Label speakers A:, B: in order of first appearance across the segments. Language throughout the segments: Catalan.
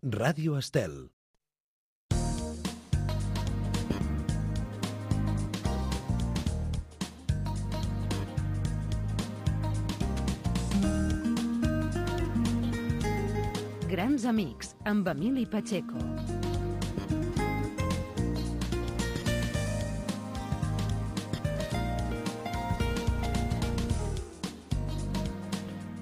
A: Ràdio Estel.
B: Grans amics, amb Emili Pacheco.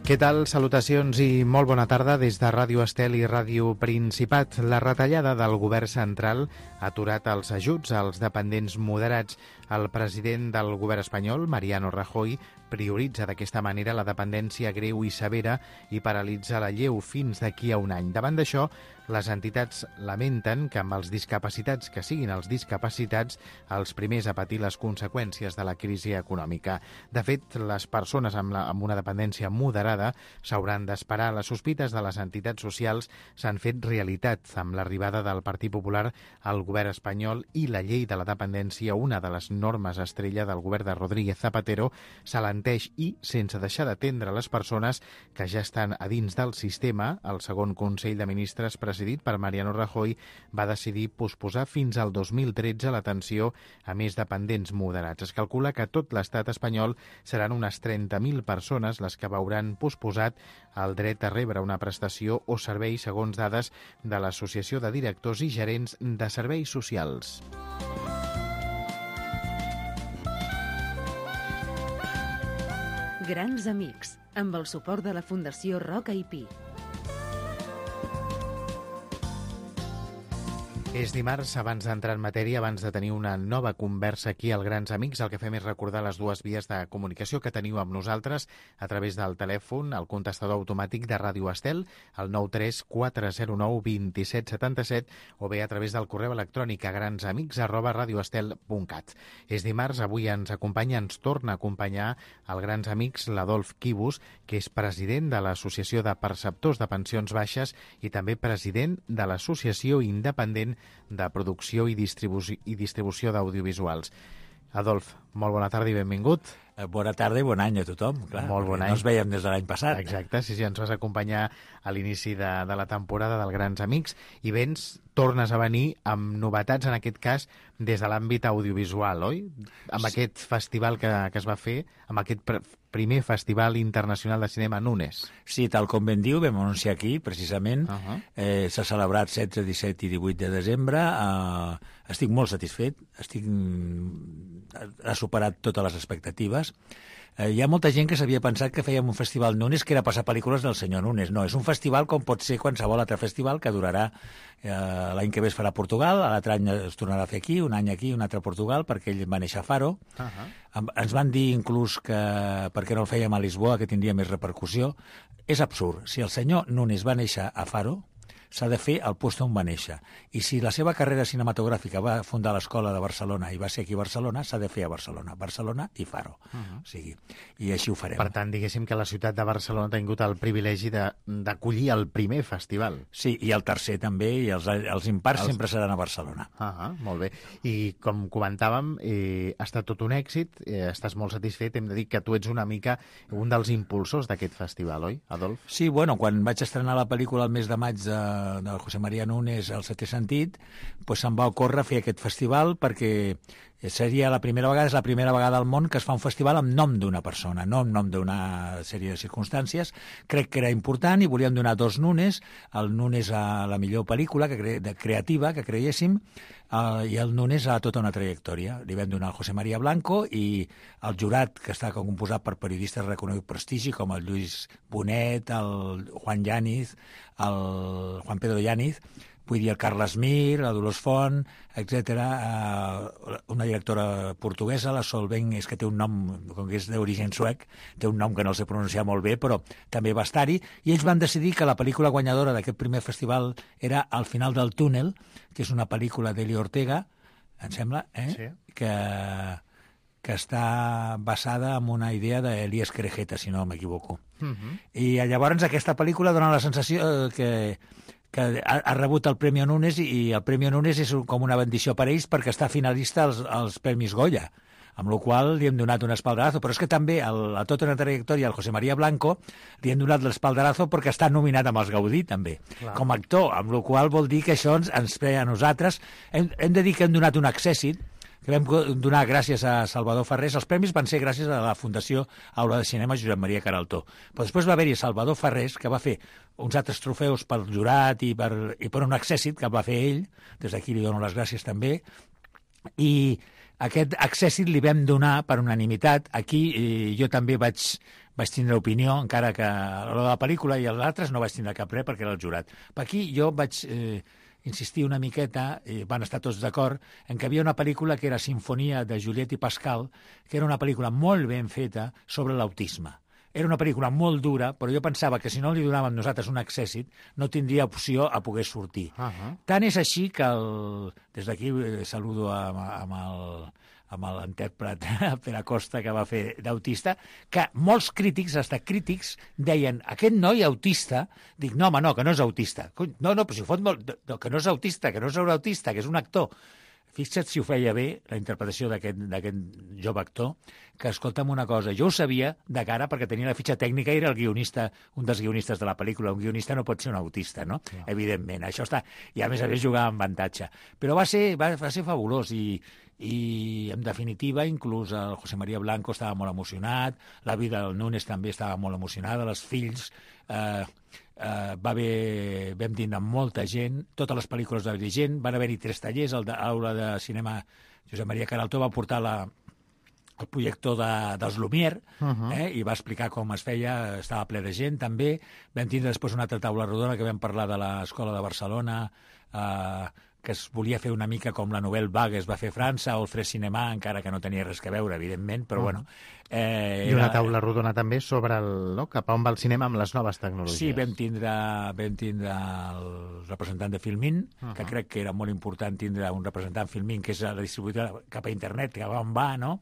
C: Què tal? Salutacions i molt bona tarda des de Ràdio Estel i Ràdio Principat. La retallada del govern central ha aturat els ajuts als dependents moderats. El president del govern espanyol, Mariano Rajoy, prioritza d'aquesta manera la dependència greu i severa i paralitza la lleu fins d'aquí a un any. Davant d'això, les entitats lamenten que amb els discapacitats que siguin els discapacitats els primers a patir les conseqüències de la crisi econòmica. De fet, les persones amb una dependència moderada s'hauran d'esperar. Les sospites de les entitats socials s'han fet realitat amb l'arribada del Partit Popular al govern espanyol i la llei de la dependència, una de les normes estrella del govern de Rodríguez Zapatero, s'alenteix i, sense deixar d'atendre les persones que ja estan a dins del sistema, el segon Consell de Ministres presidit per Mariano Rajoy va decidir posposar fins al 2013 l'atenció a més dependents moderats. Es calcula que a tot l'estat espanyol seran unes 30.000 persones les que veuran posposat el dret a rebre una prestació o servei segons dades de l'Associació de Directors i Gerents de Serveis Socials.
B: Grans amics, amb el suport de la Fundació Roca i Pi.
C: És dimarts, abans d'entrar en matèria, abans de tenir una nova conversa aquí al Grans Amics, el que fem és recordar les dues vies de comunicació que teniu amb nosaltres a través del telèfon, el contestador automàtic de Ràdio Estel, el 934092777, o bé a través del correu electrònic a gransamics@radioestel.cat. És dimarts, avui ens torna a acompanyar el Grans Amics l'Adolf Quibus, que és president de l'Associació de Perceptors de Pensions Baixes i també president de l'Associació Independent de Producció i Distribució d'Audiovisuals. Adolf, molt bona tarda i benvingut.
D: Bona tarda i bon any a tothom, clar.
C: Molt bon any.
D: No ens veiem des de l'any passat.
C: Exacte, sí, ens vas acompanyar a l'inici de la temporada del Grans Amics i tornes a venir amb novetats, en aquest cas, des de l'àmbit audiovisual, oi? Amb aquest festival que es va fer, amb aquest primer Festival Internacional de Cinema Nunes.
D: Sí, tal com ben diu, vam anunciar aquí, precisament. S'ha celebrat 16, 17 i 18 de desembre. Estic molt satisfet. Ha superat totes les expectatives. Hi ha molta gent que s'havia pensat que fèiem un festival Nunes que era passar pel·lícules del senyor Nunes. No, és un festival com pot ser qualsevol altre festival que durarà l'any que ve es farà a Portugal, l'altre any es tornarà a fer aquí, un any aquí, un altre a Portugal, perquè ell va néixer a Faro. Ens van dir inclús que perquè no el fèiem a Lisboa, que tindria més repercussió. És absurd. Si el senyor Nunes va néixer a Faro, s'ha de fer al lloc on va néixer. I si la seva carrera cinematogràfica va fundar l'Escola de Barcelona i va ser aquí a Barcelona, s'ha de fer a Barcelona. Barcelona i Faro. O sigui, i així ho farem.
C: Per tant, diguéssim que la ciutat de Barcelona ha tingut el privilegi d'acollir el primer festival.
D: Sí, i el tercer també, i els impars sempre seran a Barcelona.
C: Molt bé. I com comentàvem, ha estat tot un èxit, estàs molt satisfet, hem de dir que tu ets una mica un dels impulsors d'aquest festival, oi, Adolf?
D: Sí, bueno, quan vaig estrenar la pel·lícula el mes de maig de José María Nunes, El setè sentit, doncs se'm va ocórrer fer aquest festival perquè seria la primera vegada, és la primera vegada al món que es fa un festival amb nom d'una persona, no amb nom d'una sèrie de circumstàncies. Crec que era important i volíem donar dos Nunes, el Nunes a la millor pel·lícula creativa que creiéssim i el Nunes a tota una trajectòria. Li vam donar al José María Blanco i el jurat, que està composat per periodistes de reconegut prestigi com el Lluís Bonet, el Juan Yáñez, el Juan Pedro Yáñez, vull dir el Carles Mir, la Dolors Font, etc. Una directora portuguesa, la Sol Ben, és que té un nom, com que és d'origen suec, té un nom que no el sé pronunciar molt bé, però també va estar-hi, i ells van decidir que la pel·lícula guanyadora d'aquest primer festival era Al final del túnel, que és una pel·lícula d'Eli Ortega, em sembla,
C: Sí.
D: que està basada en una idea d'Elias Querejeta, si no m'equivoco. I llavors aquesta pel·lícula dona la sensació que ha rebut el Premi Nunes, i el Premi Nunes és com una bendició per ells perquè està finalista als Premis Goya. amb la qual li hem donat un espaldarazo, però és que també a tota una trajectòria al José María Blanco li hem donat l'espaldarazo perquè està nominat amb els Gaudí també, com a actor, amb la qual vol dir que això ens ve a nosaltres. Hem de dir que hem donat un accèssit, que vam donar gràcies a Salvador Ferrés. Els premis van ser gràcies a la Fundació Aula de Cinema Josep Maria Queraltó. Però després va haver-hi Salvador Ferrés, que va fer uns altres trofeus pel jurat i per un accèssit que va fer ell, des d'aquí li dono les gràcies també, i aquest accèssit li vam donar per unanimitat. Aquí jo també vaig tindre opinió, encara que a l'hora de la pel·lícula i els altres no vaig tindre cap res perquè era el jurat. Per aquí jo vaig insistir una miqueta, i van estar tots d'acord, en que hi havia una pel·lícula que era Sinfonia de Juliette i Pascal, que era una pel·lícula molt ben feta sobre l'autisme. Era una pel·lícula molt dura, però jo pensava que si no li donàvem nosaltres un accèssit no tindria opció a poder sortir. Tant és així que des d'aquí saludo amb l'intèrpret Pere Costa, que va fer d'autista, que molts crítics, fins crítics, deien, aquest noi autista, dic, no, home, no, que no és autista. No, però si ho fot molt... No, que no és autista, que no és autista, que és un actor. Fixa't si ho feia bé, la interpretació d'aquest jove actor, que, escolta'm una cosa, jo ho sabia de cara perquè tenia la fitxa tècnica i era el guionista, un dels guionistes de la pel·lícula. Un guionista no pot ser un autista, no? Ja. Evidentment, això està... I a més jugava amb avantatge. Però va ser fabulós i en definitiva, inclús el José María Blanco estava molt emocionat, la Vida del Núñez també estava molt emocionada, els fills... vam tindre molta gent, totes les pel·lícules de gent, van haver-hi 3 tallers, l'Aula de Cinema Josep Maria Queraltó va portar el projector dels Lumière, i va explicar com es feia, estava ple de gent també. Vam tindre després una altra taula rodona que vam parlar de l'Escola de Barcelona, que es volia fer una mica com la Nouvelle Vague es va fer a França, o el Fres Cinema, encara que no tenia res a veure, evidentment, però bueno.
C: I una taula rodona també sobre cap a on va el cinema amb les noves tecnologies.
D: Sí, vam tindre el representant de Filmin, que crec que era molt important tindre un representant Filmin, que és la distribuïdora cap a internet, que on va, no?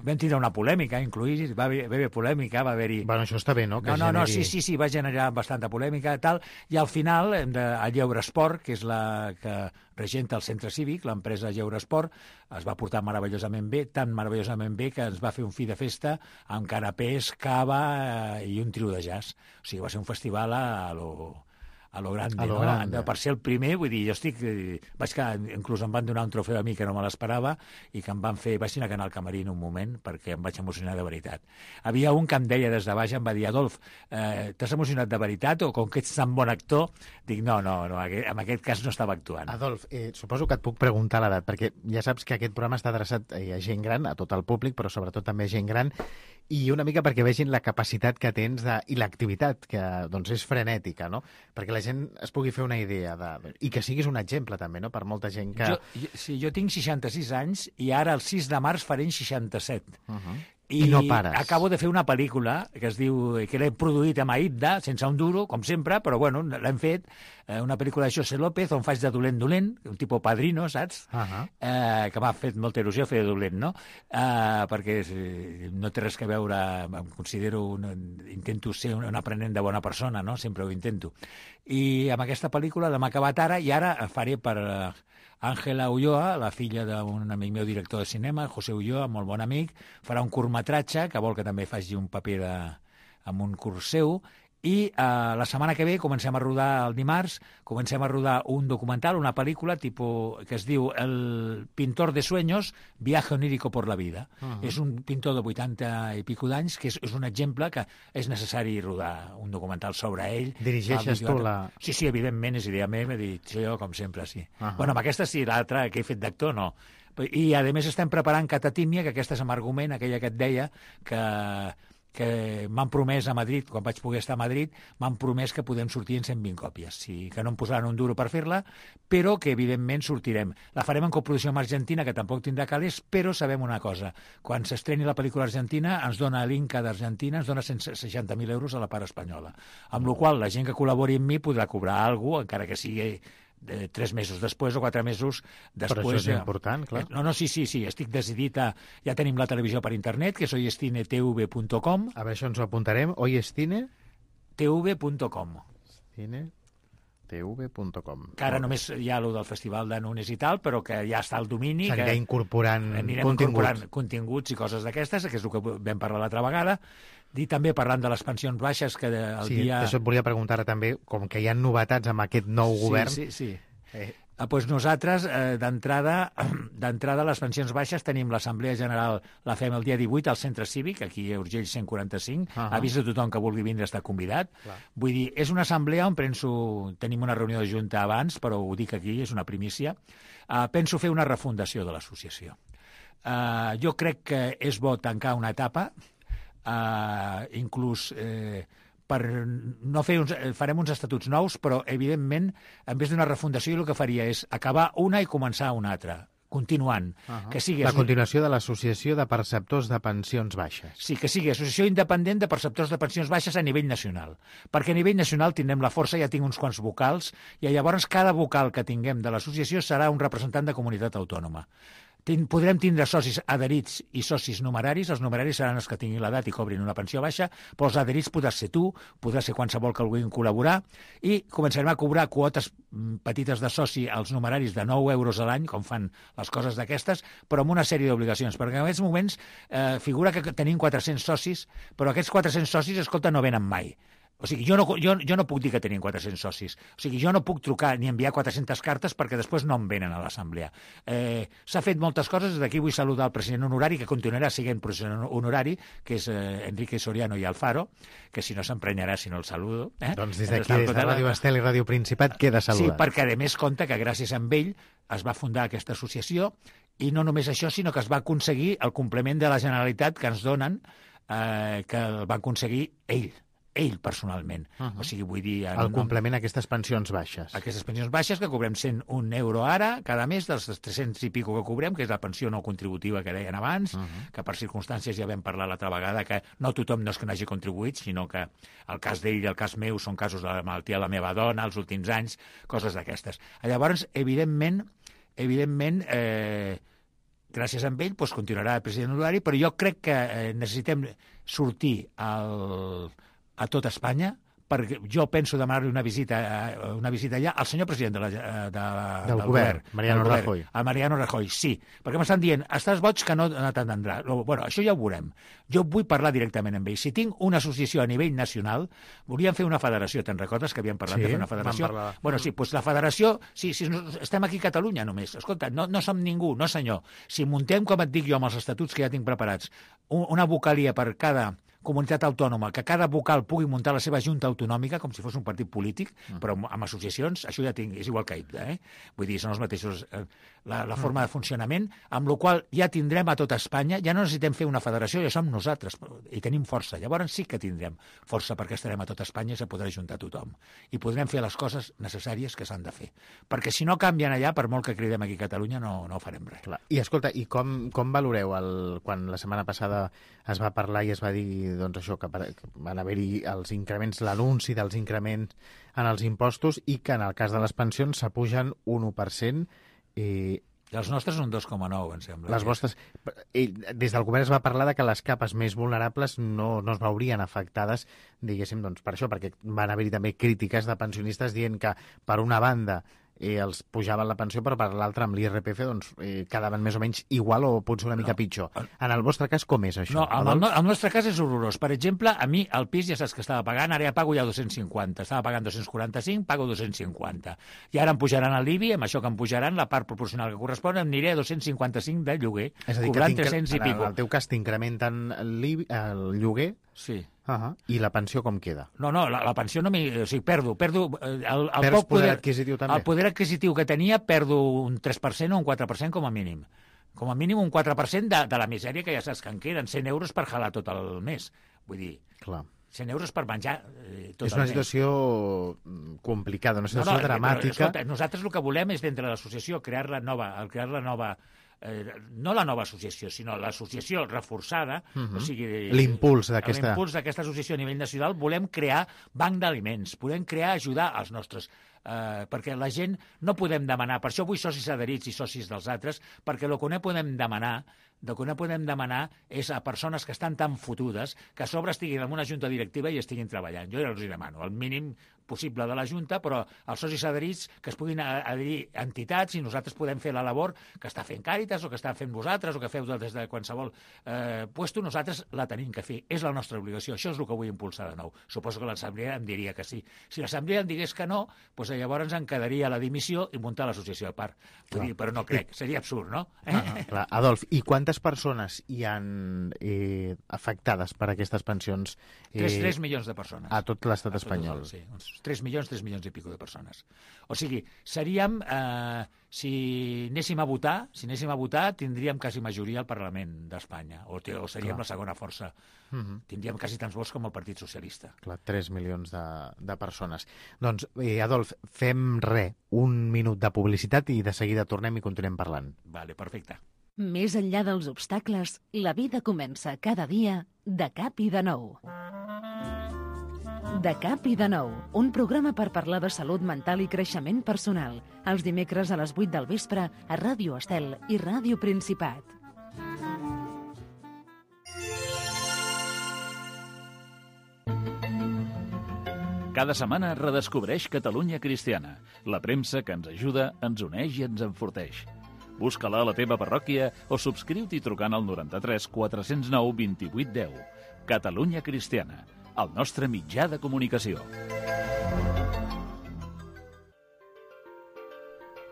D: Vam tindre una polèmica, inclús, va haver polèmica, va haver-hi...
C: Bueno, això està bé, no?
D: No, sí, va generar bastanta polèmica i tal, i al final, a Lleure Esport, que és la que regenta el centre cívic, l'empresa Lleure Esport, es va portar meravellosament bé, tan meravellosament bé que ens va fer un fi de festa amb canapés, cava i un trio de jazz. O sigui, va ser un festival a lo grande, no? Grande. Per ser el primer, vull dir, inclús em van donar un trofeu a mi que no me l'esperava i que em van fer, vaig anar al camarín un moment perquè em vaig emocionar de veritat. Havia un que em deia des de baix, em va dir, Adolf, t'has emocionat de veritat o com que ets tan bon actor? Dic, no, en aquest cas no estava actuant.
C: Adolf, suposo que et puc preguntar l'edat, perquè ja saps que aquest programa està adreçat a gent gran, a tot el públic, però sobretot també a gent gran, i una mica perquè vegin la capacitat que tens i l'activitat, que doncs és frenètica, no? Perquè la gent es pugui fer una idea i que siguis un exemple també, no? Per molta gent que...
D: Jo tinc 66 anys i ara el 6 de març faré 67.
C: I no pares.
D: Acabo de fer una pel·lícula que es diu, que l'he produït amb Aïda, sense un duro, com sempre, però bueno, l'hem fet, una pel·lícula de José López on faig de dolent, un tipus Padrino, saps? Que m'ha fet molta il·lusió fer de dolent, no? Perquè no té res a veure, em considero, intento ser un aprenent de bona persona, no? Sempre ho intento. I amb aquesta pel·lícula l'hem acabat ara i ara faré per Àngela Ulloa, la filla d'un amic meu director de cinema, José Ulloa, molt bon amic, farà un curtmetratge, que vol que també faci un paper amb un curs seu, i la setmana que ve comencem a rodar el dimarts, comencem a rodar un documental, una pel·lícula que es diu El pintor de sueños, viaje onírico por la vida. És un pintor de 80 i pico d'anys que és un exemple que és necessari rodar un documental sobre ell.
C: Dirigeixes tu la...
D: Sí, evidentment, és idea meva, jo com sempre, sí. Bueno, amb aquesta sí, l'altra que he fet d'actor no. I a més estem preparant Catatímia, que aquesta és amb argument, aquella que et deia que m'han promès a Madrid, quan vaig poder estar a Madrid, m'han promès que podem sortir en 120 còpies, que no em posaran un duro per fer-la, però que evidentment sortirem. La farem en coproducció amb Argentina, que tampoc tindrà calés, però sabem una cosa, quan s'estreni la pel·lícula argentina ens dona l'Inca d'Argentina, ens dona 160.000 euros a la part espanyola, amb la qual la gent que col·labori amb mi podrà cobrar alguna cosa, encara que sigui 3 mesos després o 4 mesos després.
C: Però això és important, clar.
D: No, sí, estic decidit a... Ja tenim la televisió per internet, que és oyestinetv.com.
C: A veure, això ens ho apuntarem. Oyestine?
D: tv.com.
C: Cine... tv.com.
D: Que ara només hi ha el del Festival de Nunes i tal, però que ja està el domini.
C: S'anirà incorporant
D: continguts i coses d'aquestes, que és el que vam parlar l'altra vegada. I també parlant de les pensions baixes, que el dia...
C: Això et volia preguntar també, com que hi ha novetats amb aquest nou govern...
D: Sí. Doncs nosaltres, d'entrada, les pensions baixes tenim l'Assemblea General, la fem el dia 18 al Centre Cívic, aquí a Urgell 145, avís a tothom que vulgui vindre està convidat.
C: Clar.
D: Vull dir, és una assemblea on tenim una reunió de junta abans, però ho dic aquí, és una primícia. Penso fer una refundació de l'associació. Jo crec que és bo tancar una etapa, inclús... farem uns estatuts nous, però, evidentment, en vez d'una refundació, el que faria és acabar una i començar una altra, continuant. Que sigui
C: la continuació de l'Associació de Perceptors de Pensions Baixes.
D: Sí, que sigui Associació Independent de Perceptors de Pensions Baixes a nivell nacional. Perquè a nivell nacional tindrem la força, ja tinc uns quants vocals, i llavors cada vocal que tinguem de l'associació serà un representant de comunitat autònoma. Podrem tindre socis adherits i socis numeraris. Els numeraris seran els que tinguin l'edat i cobrin una pensió baixa, però els adherits podràs ser tu, podràs ser qualsevol que vulguin col·laborar, i començarem a cobrar quotes petites de soci als numeraris de 9 euros a l'any, com fan les coses d'aquestes, però amb una sèrie d'obligacions, perquè en aquests moments figura que tenim 400 socis, però aquests 400 socis, escolta, no venen mai. O sigui, jo no puc dir que tenim 400 socis. O sigui, jo no puc trucar ni enviar 400 cartes perquè després no em venen a l'assemblea. S'ha fet moltes coses. D'aquí vull saludar el president honorari, que continuarà sent president honorari, que és Enrique Soriano i Alfaro, que si no s'emprenyarà si no el saludo.
C: Doncs des d'aquí, des de Ràdio Estel i Ràdio Principat, queda saludar.
D: Sí, perquè a més compta que gràcies a ell es va fundar aquesta associació, i no només això, sinó que es va aconseguir el complement de la Generalitat que ens donen, que el va aconseguir ell personalment. O sigui, vull dir...
C: El complement a aquestes pensions baixes.
D: Aquestes pensions baixes, que cobrem 101 euro ara, cada mes, dels 300 i pico que cobrem, que és la pensió no contributiva que deien abans, que per circumstàncies ja vam parlar l'altra vegada, que no tothom no és que n'hagi contribuït, sinó que el cas d'ell i el cas meu són casos de la malaltia de la meva dona, els últims anys, coses d'aquestes. Llavors, evidentment, gràcies a ell, doncs, continuarà el president honorari, però jo crec que necessitem sortir a tot Espanya, perquè jo penso demanar-li una visita allà al senyor president del govern,
C: Mariano Rajoy.
D: A Mariano Rajoy, sí, perquè m'estan dient, estàs boig que no t'entendrà. Bueno, això ja ho veurem. Jo vull parlar directament amb ell. Si tinc una associació a nivell nacional, volíem fer una federació, te'n recordes que havíem parlat de fer una federació? Bueno, sí, doncs la federació, sí, estem aquí a Catalunya només. Escolta, no som ningú, no senyor. Si muntem, com et dic jo, amb els estatuts que ja tinc preparats, una vocalia per cada comunitat autònoma, que cada vocal pugui muntar la seva junta autonòmica, com si fos un partit polític, però amb associacions, això ja és igual que IPDA, Vull dir, són els mateixos, la forma de funcionament, amb la qual ja tindrem a tot Espanya, ja no necessitem fer una federació, ja som nosaltres, i tenim força. Llavors sí que tindrem força, perquè estarem a tot Espanya i se podrà juntar tothom. I podrem fer les coses necessàries que s'han de fer. Perquè si no canvien allà, per molt que cridem aquí a Catalunya, no farem res.
C: Clar. I escolta, i com valoreu quan la setmana passada es va parlar i es va dir doncs això, que van haver-hi els increments, l'anunci dels increments en els impostos, i que en el cas de les pensions s'apugen un 1%.
D: I els nostres un 2,9, em sembla.
C: Les vostres... Des del govern es va parlar de que les capes més vulnerables no es veurien afectades, diguéssim, doncs per això, perquè van haver-hi també crítiques de pensionistes dient que, per una banda, els pujaven la pensió, però per l'altra, amb l'IRPF, doncs, quedaven més o menys igual o potser una mica pitjor. En el vostre cas, com és això?
D: No, el nostre cas és horrorós. Per exemple, a mi el pis ja saps que estava pagant, ara ja pago ja 250. Estava pagant 245, pago 250. I ara em pujaran l'IBI, amb això que em pujaran, la part proporcional que correspon, em aniré a 255 de lloguer, cobrant 300 i pico.
C: En el teu cas t'incrementen el lloguer?
D: Sí.
C: I la pensió com queda?
D: No, la pensió no o sigui, perdo
C: Perds poder adquisitiu també?
D: El poder adquisitiu que tenia perdo un 3% o un 4% com a mínim. Com a mínim un 4% de la misèria que ja saps que en queden, 100 euros per jalar tot el mes. Vull dir,
C: clar,
D: 100 eus per menjar tot el mes.
C: És una situació complicada, una situació dramàtica.
D: Escolta, nosaltres el que volem és, dintre de l'associació, crear la nova no la nova associació, sinó l'associació reforçada, o sigui...
C: L'impuls d'aquesta
D: associació a nivell nacional. Volem crear banc d'aliments, podem ajudar als nostres... perquè la gent no podem demanar, per això vull socis adherits i socis dels altres, perquè el que no podem demanar el que no podem demanar és a persones que estan tan fotudes que a sobre estiguin en una junta directiva i estiguin treballant. Jo ja els hi demano el mínim possible de la Junta, però els socis adherits que es puguin adherir entitats i nosaltres podem fer la labor que està fent Càritas o que està fent vosaltres o que feu des de qualsevol puesto, nosaltres la tenim que fer. És la nostra obligació. Això és el que vull impulsar de nou. Suposo que l'Assemblea em diria que sí. Si l'Assemblea em digués que no, doncs llavors em quedaria la dimissió i muntar l'associació a part. Vull dir, però no crec. Seria absurd, no?
C: Clar. Adolf, i quantes persones hi han afectades per aquestes pensions?
D: 3 milions de persones.
C: A tot l'estat espanyol.
D: Sí, uns 3 milions i pico de persones. O sigui, seríem, si anéssim a votar, tindríem quasi majoria al Parlament d'Espanya, o seríem la segona força. Tindríem quasi tants vots com el Partit Socialista.
C: Clar, 3 milions de persones. Doncs, Adolf, fem un minut de publicitat i de seguida tornem i continuem parlant.
D: Vale, perfecte.
B: Més enllà dels obstacles, la vida comença cada dia de cap i de nou. De cap i de nou, un programa per parlar de salut mental i creixement personal, els dimecres a les 8 del vespre a Ràdio Estel i Ràdio Principat.
A: Cada setmana redescobreix Catalunya Cristiana, la premsa que ens ajuda, ens uneix i ens enforteix. Busca-la a la teva parròquia o subscriu-t'hi trucant al 93 409 28 10. Catalunya Cristiana, el nostre mitjà de comunicació.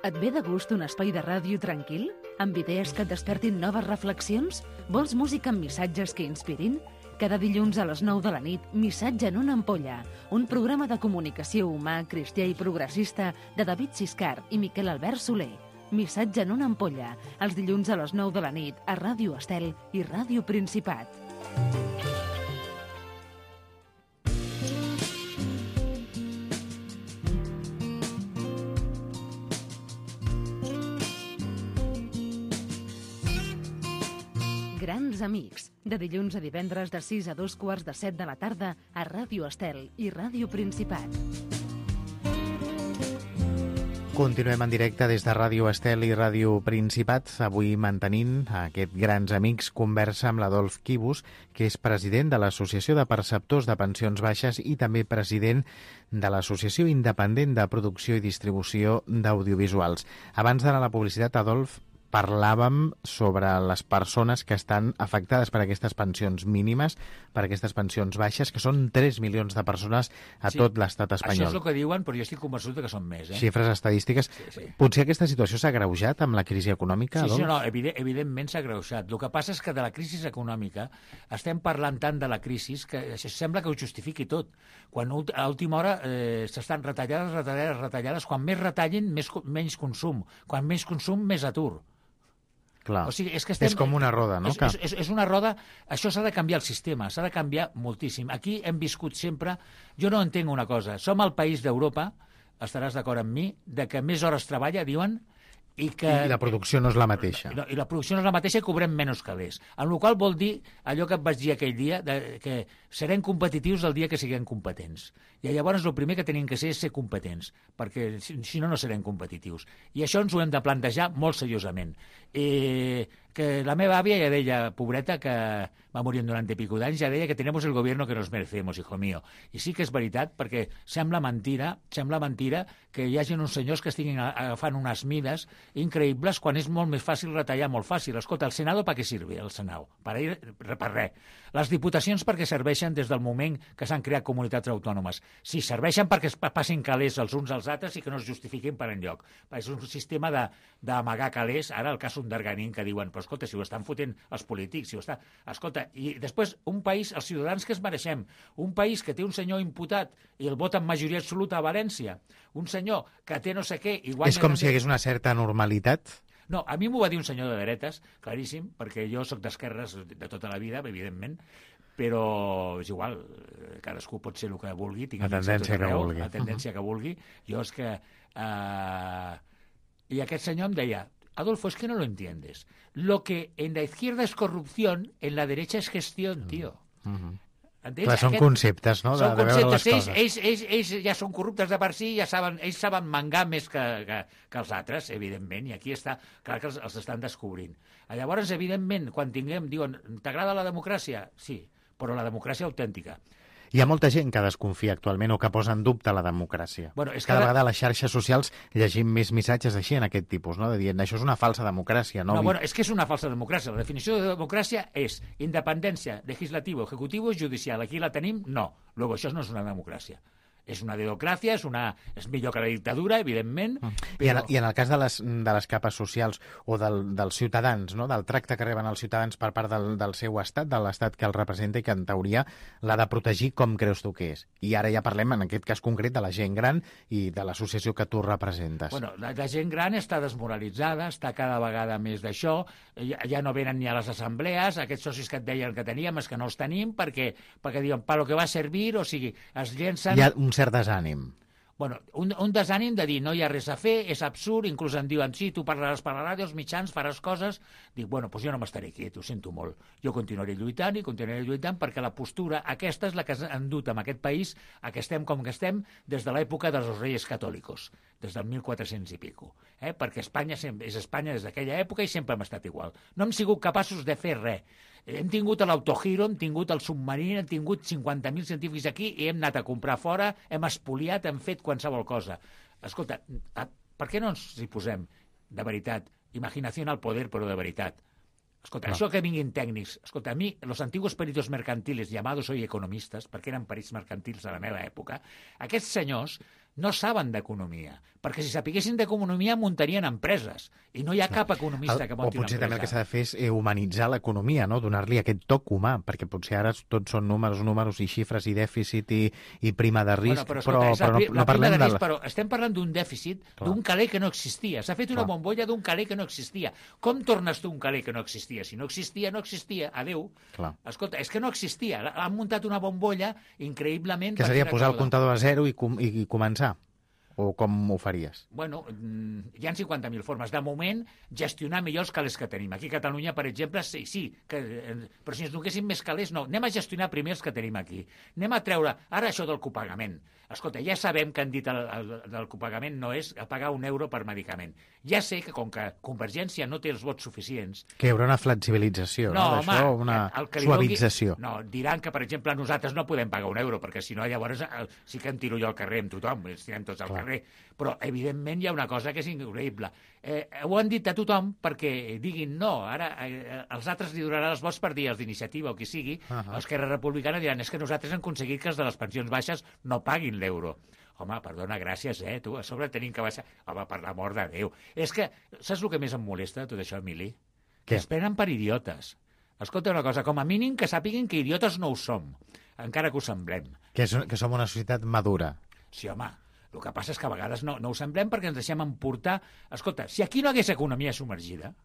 B: Et ve de gust un espai de ràdio tranquil? Amb idees que et despertin noves reflexions? Vols música amb missatges que inspirin? Cada dilluns a les 9 de la nit, Missatge en una ampolla, un programa de comunicació humà, cristià i progressista de David Siscar i Miquel Albert Soler. Missatge en una ampolla, els dilluns a les 9 de la nit a Ràdio Estel i Ràdio Principat. Grans amics, de dilluns a divendres de 6 a 2:15 de la tarda a Ràdio Estel i Ràdio Principat.
C: Continuem en directe des de Ràdio Estel i Ràdio Principat, avui mantenint aquest Grans Amics conversa amb l'Adolf Quibus, que és president de l'Associació de Perceptors de Pensions Baixes i també president de l'Associació Independent de Producció i Distribució d'Audiovisuals. Abans d'anar a la publicitat, Adolf, parlàvem sobre les persones que estan afectades per aquestes pensions mínimes, per aquestes pensions baixes, que són 3 milions de persones a tot l'estat espanyol.
D: Això és el que diuen, però jo estic convençut que són més.
C: Xifres estadístiques. Sí. Potser aquesta situació s'ha agreujat amb la crisi econòmica?
D: Sí, no, evidentment s'ha agreujat. El que passa és que de la crisi econòmica estem parlant tant de la crisi que sembla que ho justifiqui tot. Quan a última hora s'estan retallades. Quan més retallin, menys consum. Quan menys consum, més atur.
C: Clar.
D: O sigui,
C: és com una roda, no?
D: És una roda. Això s'ha de canviar el sistema, s'ha de canviar moltíssim. Aquí hem viscut sempre... Jo no entenc una cosa. Som el país d'Europa, estaràs d'acord amb mi, de que més hores treballa, diuen, i
C: la producció no és la mateixa.
D: I la producció no és la mateixa i cobrem menys calés. En la qual vol dir allò que et vaig dir aquell dia, que serem competitius el dia que siguem competents. I llavors el primer que tenim que ser és ser competents, perquè si no, no serem competitius. I això ens ho hem de plantejar molt seriosament. Que la meva àvia ja deia, pobreta, que va morir en 90 i pico d'anys, ja deia que tenemos el gobierno que nos merecemos, hijo mío. I sí que és veritat, perquè sembla mentira que hi hagi uns senyors que estiguin agafant unes mides increïbles quan és molt més fàcil retallar, molt fàcil. Escolta, el Senado per què sirve, el Senado? Per res. Les diputacions perquè serveixen des del moment que s'han creat comunitats autònomes. Sí, serveixen perquè es passin calés els uns als altres i que no es justifiquin per enlloc. És un sistema d'amagar calés. Ara el cas d'Arganín que diuen, però escolta, si ho estan fotent els polítics, si ho està... Escolta, i després un país, els ciutadans que es mereixem, un país que té un senyor imputat i el vota en majoria absoluta a València, un senyor que té no sé què... I guanya...
C: És com si hi hagués una certa normalitat?
D: No, a mi m'ho va dir un senyor de dretes, claríssim, perquè jo sóc d'esquerres de tota la vida, evidentment, però és igual, cadascú pot ser el que vulgui,
C: la tendència que vulgui.
D: La tendència que vulgui. Jo és que... I aquest senyor em deia, Adolfo, es que no lo entiendes. Lo que en la izquierda es corrupción, en la derecha es gestión, tío. Entens?
C: Clar, són conceptes, no?, de veure les coses.
D: Ells ja són corruptes de per si, ells saben mangar més que els altres, evidentment, i aquí està, clar que els estan descobrint. Llavors, evidentment, quan diuen, t'agrada la democràcia? Sí, però la democràcia autèntica.
C: Hi ha molta gent que desconfia actualment o que posa en dubte la democràcia.
D: Bueno, és
C: Cada vegada a les xarxes socials llegim més missatges així en aquest tipus, no?, de dir, això és una falsa democràcia. No,
D: bueno, és que és una falsa democràcia. La definició de democràcia és independència legislativo, ejecutivo i judicial. Aquí la tenim? No. Luego, això no és una democràcia. És una dedocràcia, és millor que la dictadura, evidentment.
C: Però... I en el cas de les capes socials o dels ciutadans, no?, del tracte que reben els ciutadans per part del seu estat, de l'estat que el representa i que en teoria l'ha de protegir, com creus tu que és? I ara ja parlem, en aquest cas concret, de la gent gran i de l'associació que tu representes.
D: Bueno, la gent gran està desmoralitzada, està cada vegada més d'això, ja no venen ni a les assemblees, aquests socis que et deien que teníem, és que no els tenim, perquè diuen, per lo que va servir, o sigui, es llencen...
C: Hi ha un cert desànim.
D: Bueno, un desànim de dir no hi ha res a fer, és absurd, inclús em diuen sí, tu parlaràs per la ràdio, els mitjans, faràs coses. Dic, bueno, doncs jo no m'estaré quiet, ho sento molt. Jo continuaré lluitant perquè la postura aquesta és la que ha endut en aquest país a que estem com que estem des de l'època dels Reyes Catòlicos, des del 1400 i pico. Perquè Espanya és Espanya des d'aquella època i sempre hem estat igual. No hem sigut capaços de fer res. Hem tingut l'Autohero, hem tingut el submarí, hem tingut 50.000 científics aquí i hem anat a comprar fora, hem espoliat, hem fet qualsevol cosa. Escolta, per què no ens hi posem, de veritat, imaginació al poder, però de veritat? Escolta, això que vinguin tècnics... Escolta, a mi, los antiguos peritos mercantiles, llamados hoy economistas, perquè eren perits mercantils a la meva època, aquests senyors no saben d'economia, perquè si sapiguessin d'economia muntarien empreses, i no hi ha cap economista que munti una empresa.
C: O potser també el que s'ha de fer és humanitzar l'economia, no?, donar-li aquest toc humà, perquè potser ara tots són números i xifres i dèficit i prima de risc,
D: però no parlem de... Però estem parlant d'un dèficit, d'un caler que no existia. S'ha fet una bombolla d'un caler que no existia. Com tornes tu un caler que no existia? Si no existia, no existia. Adéu. Escolta, és que no existia. Han muntat una bombolla increïblement...
C: Que seria posar el comptador a zero i començar. O com ho faries?
D: Bueno, hi ha 50.000 formes. De moment, gestionar millor els calés que tenim. Aquí a Catalunya, per exemple, sí, però si ens donessin més calés, no. Anem a gestionar primer els que tenim aquí. Anem a treure, ara això del copagament. Escolta, ja sabem que han dit el copagament no és pagar €1 per medicament. Ja sé que com que Convergència no té els vots suficients...
C: Que hi haurà una flexibilització, no? D'això, una suavització.
D: No, diran que, per exemple, nosaltres no podem pagar €1, perquè si no, llavors sí que em tiro jo al carrer amb tothom, ens tirem tots al carrer. Però, evidentment, hi ha una cosa que és increïble. Ho han dit a tothom perquè diguin no, ara els altres li donaran els vots per dir els d'iniciativa o qui sigui, l'Esquerra Republicana diran és que nosaltres hem aconseguit que els de les pensions baixes no paguin l'euro. Home, perdona, gràcies, tu, a sobre tenim que baixar... Home, per l'amor de Déu. És que, saps el que més em molesta, tot això, Emili? Que es prenen per idiotes. Escolta una cosa, com a mínim que sàpiguen que idiotes no ho som, encara que ho semblem.
C: Que som una societat madura.
D: Sí, home. El que passa és que a vegades no ho semblem perquè ens deixem emportar... Escolta, si aquí no hagués economia submergida...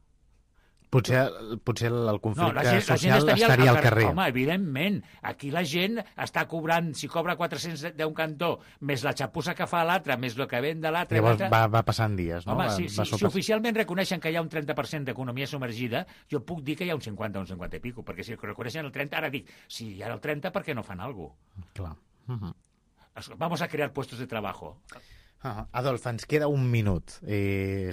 C: Potser el conflicte social estaria al carrer.
D: Home, evidentment. Aquí la gent està cobrant, si cobra 400 d'un cantó, més la xapussa que fa l'altre, més el que ven de l'altre...
C: Llavors va passant dies, no?
D: Home, si oficialment reconeixen que hi ha un 30% d'economia submergida, jo puc dir que hi ha un 50 o un 50 i pico, perquè si reconeixen el 30, ara dic, si hi ha el 30, per què no fan alguna cosa?
C: Clar.
D: Vamos a crear puestos de trabajo.
C: Adolf, ens queda un minut.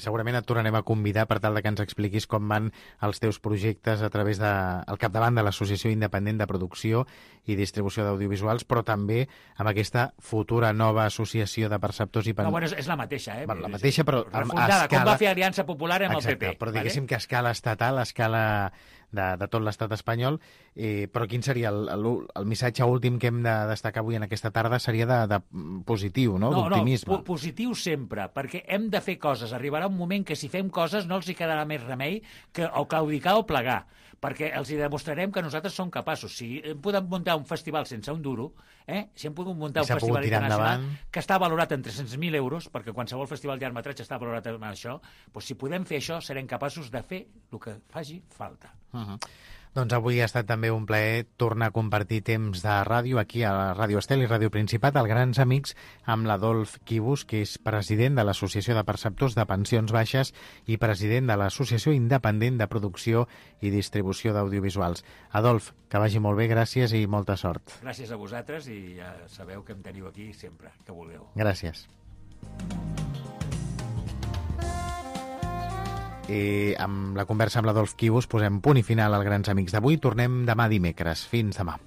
C: Segurament et tornarem a convidar per tal de que ens expliquis com van els teus projectes a través al capdavant de l'Associació Independent de Producció i Distribució d'Audiovisuals, però també amb aquesta futura nova associació de perceptors i...
D: No, bueno, és la mateixa,
C: La mateixa, però
D: refundada, a escala... com va fer Aliança Popular amb el PP.
C: Però diguéssim que a escala estatal, a escala de tot l'estat espanyol, però quin seria el missatge últim que hem de destacar avui en aquesta tarda? Seria de positiu, no? D'optimisme.
D: No, positiu sempre, perquè hem de fer coses. Arribarà un moment que si fem coses no els hi quedarà més remei que o claudicar o plegar, perquè els hi demostrarem que nosaltres som capaços. Si hem pogut muntar un festival sense un duro, si hem pogut muntar un festival internacional que està valorat en 300.000 euros, perquè qualsevol festival de llargmetratge està valorat en això, doncs si podem fer això, serem capaços de fer el que faci falta.
C: Doncs avui ha estat també un plaer tornar a compartir temps de ràdio aquí a la Ràdio Estel i Ràdio Principat, al Grans Amics, amb l'Adolf Quibus, que és president de l'Associació de Perceptors de Pensions Baixes i president de l'Associació Independent de Producció i Distribució d'Audiovisuals. Adolf, que vagi molt bé, gràcies i molta sort.
D: Gràcies a vosaltres i ja sabeu que em teniu aquí sempre, que vulgueu.
C: Gràcies. I amb la conversa amb l'Adolf Quibus posem punt i final al Grans Amics d'avui. Tornem demà dimecres. Fins demà.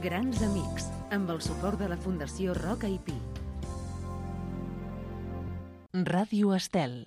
B: Grans Amics, amb el suport de la Fundació Roca i Pi.
E: Ràdio Estel.